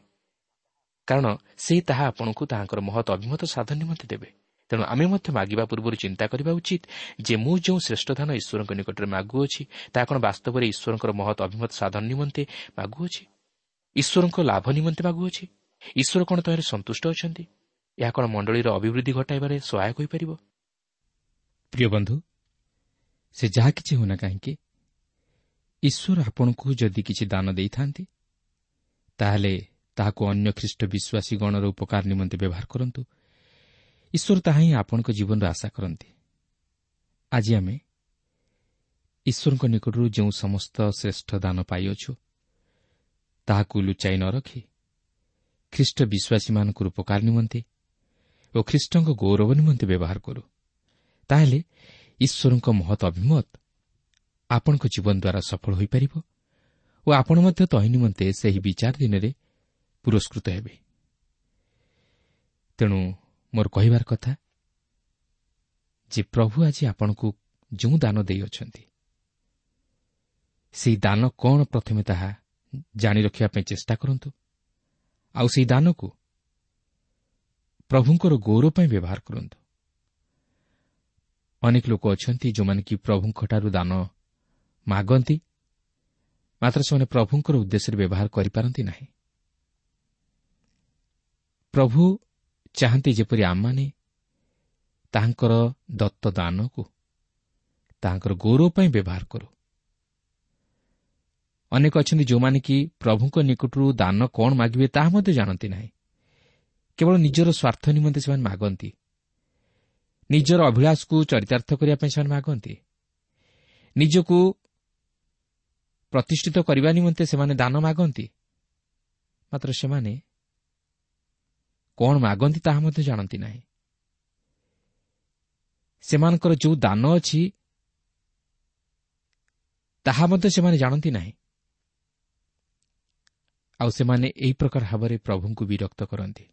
କାରଣ ସେ ତାହା ଆପଣଙ୍କୁ ତାହାଙ୍କର ମହତ୍ ଅଭିମତ ସାଧନ ନିମନ୍ତେ ଦେବେ। ତେଣୁ ଆମେ ମଧ୍ୟ ମାଗିବା ପୂର୍ବରୁ ଚିନ୍ତା କରିବା ଉଚିତ ଯେ ମୁଁ ଯେଉଁ ଶ୍ରେଷ୍ଠ ଦାନ ଈଶ୍ୱରଙ୍କ ନିକଟରେ ମାଗୁଅଛି, ତାହା କ'ଣ ବାସ୍ତବରେ ଈଶ୍ୱରଙ୍କର ମହତ୍ ଅଭିମତ ସାଧନ ନିମନ୍ତେ ମାଗୁଅଛି? ଈଶ୍ୱରଙ୍କ ଲାଭ ନିମନ୍ତେ ମାଗୁଅଛି? ଈଶ୍ୱର କ'ଣ ତହିଁରେ ସନ୍ତୁଷ୍ଟ ଅଛନ୍ତି? ଏହା କ'ଣ ମଣ୍ଡଳୀର ଅଭିବୃଦ୍ଧି ଘଟାଇବାରେ ସହାୟକ ହୋଇପାରିବ? ପ୍ରିୟ ବନ୍ଧୁ, ସେ ଯାହା କିଛି ହେଉନା କାହିଁକି, ଈଶ୍ୱର ଆପଣଙ୍କୁ ଯଦି କିଛି ଦାନ ଦେଇଥାନ୍ତି, ତାହେଲେ ତାହାକୁ ଅନ୍ୟ ଖ୍ରୀଷ୍ଟ ବିଶ୍ୱାସୀ ଗଣର ଉପକାର ନିମନ୍ତେ ବ୍ୟବହାର କରନ୍ତୁ। ଈଶ୍ୱର ତାହା ହିଁ ଆପଣଙ୍କ ଜୀବନରେ ଆଶା କରନ୍ତି। ଆଜି ଆମେ ଈଶ୍ୱରଙ୍କ ନିକଟରୁ ଯେଉଁ ସମସ୍ତ ଶ୍ରେଷ୍ଠ ଦାନ ପାଇଅଛୁ, ତାହାକୁ ଲୁଚାଇ ନ ରଖି ଖ୍ରୀଷ୍ଟ ବିଶ୍ୱାସୀମାନଙ୍କର ଉପକାର ନିମନ୍ତେ ଓ ଖ୍ରୀଷ୍ଟଙ୍କ ଗୌରବ ନିମନ୍ତେ ବ୍ୟବହାର କରୁ, ତାହେଲେ ଈଶ୍ୱରଙ୍କ ମହତ୍ ଅଭିମତ ଆପଣଙ୍କ ଜୀବନ ଦ୍ୱାରା ସଫଳ ହୋଇପାରିବ ଓ ଆପଣ ମଧ୍ୟ ତହିଁ ନିମନ୍ତେ ସେହି ବିଚାର ଦିନରେ ପୁରସ୍କୃତ ହେବେ। ତେଣୁ ମୋର କହିବାର କଥା ଯେ ପ୍ରଭୁ ଆଜି ଆପଣଙ୍କୁ ଯେଉଁ ଦାନ ଦେଇଅଛନ୍ତି, ସେହି ଦାନ କ'ଣ ପ୍ରଥମେ ତାହା ଜାଣି ରଖିବା ପାଇଁ ଚେଷ୍ଟା କରନ୍ତୁ, ଆଉ ସେହି ଦାନକୁ ପ୍ରଭୁଙ୍କର ଗୌରବ ପାଇଁ ବ୍ୟବହାର କରନ୍ତୁ। ଅନେକ ଲୋକ ଅଛନ୍ତି ଯେଉଁମାନେ କି ପ୍ରଭୁଙ୍କଠାରୁ ଦାନ ମାଗନ୍ତି, ମାତ୍ର ସେମାନେ ପ୍ରଭୁଙ୍କର ଉଦ୍ଦେଶ୍ୟରେ ବ୍ୟବହାର କରିପାରନ୍ତି ନାହିଁ। ପ୍ରଭୁ ଚାହାନ୍ତି ଯେପରି ଆମମାନେ ତାହାଙ୍କର ଦତ୍ତ ଦାନକୁ ତାହାଙ୍କର ଗୌରବ ପାଇଁ ବ୍ୟବହାର କରୁ। ଅନେକ ଅଛନ୍ତି ଯେଉଁମାନେ କି ପ୍ରଭୁଙ୍କ ନିକଟରୁ ଦାନ କ'ଣ ମାଗିବେ ତାହା ମଧ୍ୟ ଜାଣନ୍ତି ନାହିଁ, କେବଳ ନିଜର ସ୍ୱାର୍ଥ ନିମନ୍ତେ ସେମାନେ ମାଗନ୍ତି, ନିଜର ଅଭିଳାଷକୁ ଚରିତାର୍ଥ କରିବା ପାଇଁ ସେମାନେ ମାଗନ୍ତି, ନିଜକୁ ପ୍ରତିଷ୍ଠିତ କରିବା ନିମନ୍ତେ ସେମାନେ ଦାନ ମାଗନ୍ତି। ମାତ୍ର ସେମାନେ କ'ଣ ମାଗନ୍ତି ତାହା ମଧ୍ୟ ଜାଣନ୍ତି ନାହିଁ। ସେମାନଙ୍କର ଯେଉଁ ଦାନ ଅଛି ତାହା ମଧ୍ୟ ସେମାନେ ଜାଣନ୍ତି ନାହିଁ। ଆଉ ସେମାନେ ଏହି ପ୍ରକାର ଭାବରେ ପ୍ରଭୁଙ୍କୁ ବିରକ୍ତ କରନ୍ତି।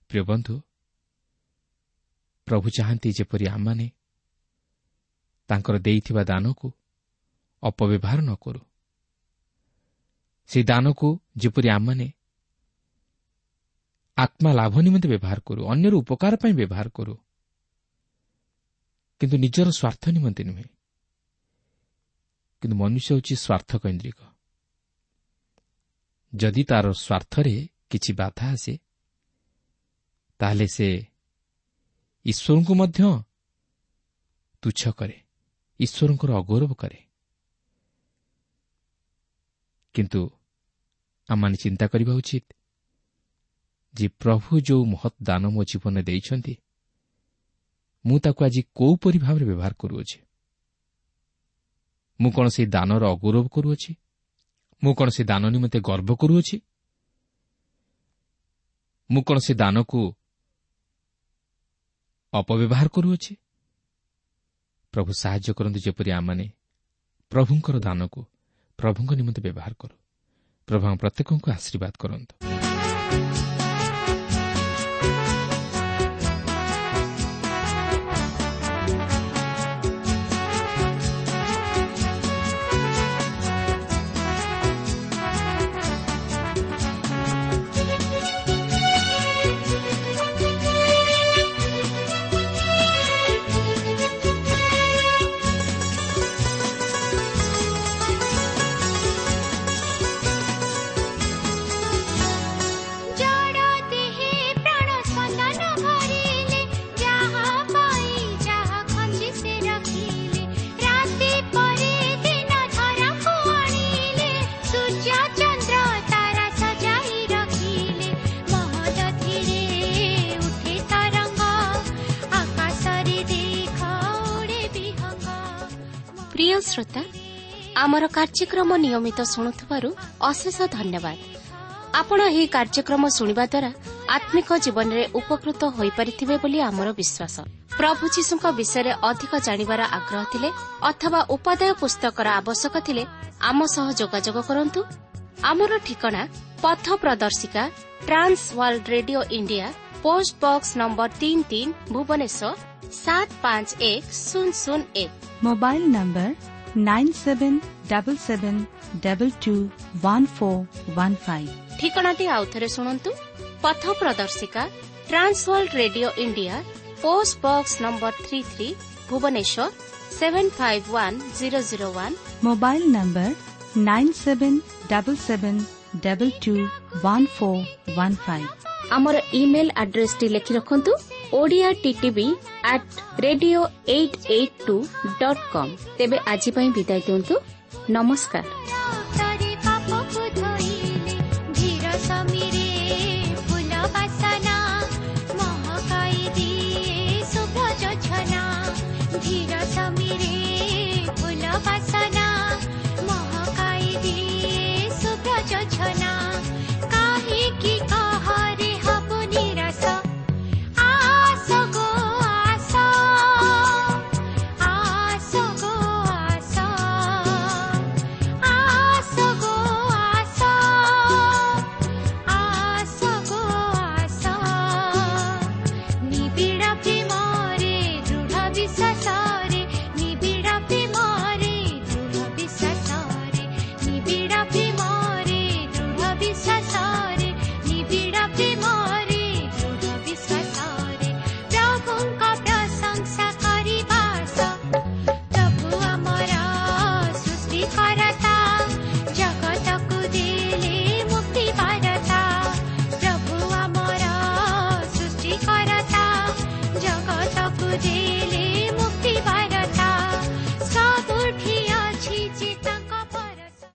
ପ୍ରିୟ ବନ୍ଧୁ, ପ୍ରଭୁ ଚାହାନ୍ତି ଯେପରି ଆମମାନେ ତାଙ୍କର ଦେଇଥିବା ଦାନକୁ ଅପବ୍ୟବହାର ନ କରୁ, ସେହି ଦାନକୁ ଯେପରି ଆମମାନେ ଆତ୍ମା ଲାଭ ନିମନ୍ତେ ବ୍ୟବହାର କରୁ, ଅନ୍ୟର ଉପକାର ପାଇଁ ବ୍ୟବହାର କରୁ, କିନ୍ତୁ ନିଜର ସ୍ୱାର୍ଥ ନିମନ୍ତେ ନୁହେଁ। କିନ୍ତୁ ମନୁଷ୍ୟ ହେଉଛି ସ୍ୱାର୍ଥ କୈନ୍ଦ୍ରିକ। ଯଦି ତାର ସ୍ୱାର୍ଥରେ କିଛି ବାଧା ଆସେ, ତାହେଲେ ସେ ଈଶ୍ୱରଙ୍କୁ ମଧ୍ୟ ତୁଚ୍ଛ କରେ, ଈଶ୍ୱରଙ୍କର ଅଗୌରବ କରେ। କିନ୍ତୁ ଆମମାନେ ଚିନ୍ତା କରିବା ଉଚିତ ଯେ ପ୍ରଭୁ ଯେଉଁ ମହତ୍ ଦାନ ମୋ ଜୀବନରେ ଦେଇଛନ୍ତି, ମୁଁ ତାକୁ ଆଜି କୋଉପରି ଭାବରେ ବ୍ୟବହାର କରୁଅଛି? ମୁଁ କ'ଣ ସେହି ଦାନର ଅଗୌରବ କରୁଅଛି? ମୁଁ କ'ଣ ସେ ଦାନ ନିମନ୍ତେ ଗର୍ବ କରୁଅଛି? ମୁଁ କ'ଣ ସେ ଦାନକୁ ଅପବ୍ୟବହାର କରୁଅଛି? ପ୍ରଭୁ ସାହାଯ୍ୟ କରନ୍ତୁ ଯେପରି ଆମମାନେ ପ୍ରଭୁଙ୍କର ଦାନକୁ ପ୍ରଭୁଙ୍କ ନିମନ୍ତେ ବ୍ୟବହାର କରୁ। ପ୍ରଭୁ ଆମ ପ୍ରତ୍ୟେକଙ୍କୁ ଆଶୀର୍ବାଦ କରନ୍ତୁ। ପ୍ରିୟ ଶ୍ରୋତା, ଆମର କାର୍ଯ୍ୟକ୍ରମ ନିୟମିତ ଶୁଣୁଥିବାରୁ ଅଶେଷ ଧନ୍ୟବାଦ। ଆପଣ ଏହି କାର୍ଯ୍ୟକ୍ରମ ଶୁଣିବା ଦ୍ୱାରା ଆତ୍ମିକ ଜୀବନରେ ଉପକୃତ ହୋଇପାରିଥିବେ ବୋଲି ଆମର ବିଶ୍ୱାସ। ପ୍ରଭୁ ଯୀଶୁଙ୍କ ବିଷୟରେ ଅଧିକ ଜାଣିବାର ଆଗ୍ରହ ଥିଲେ ଅଥବା ଉପାଦେୟ ପୁସ୍ତକର ଆବଶ୍ୟକ ଥିଲେ ଆମ ସହ ଯୋଗାଯୋଗ କରନ୍ତୁ। ଆମର ଠିକଣା ପଥ ପ୍ରଦର୍ଶିକା, Trans World Radio India, post box number 33, Bhubaneswar 751001। Mobile number 9777221415। ଠିକଣାଟି ଆଉଥରେ ଶୁଣନ୍ତୁ। ପଥ ପ୍ରଦର୍ଶିକା, Trans World Radio India, post box number 33, Bhubaneswar 751001। Mobile number 9777221415। ଆମର ଇମେଲ୍ ଆଡ୍ରେସଟି ଲେଖି ରଖନ୍ତୁ: Odia TTV at radio 882.com। ତେବେ ଆଜି ପାଇଁ ବିଦାୟ ଦିଅନ୍ତୁ। ନମସ୍କାର।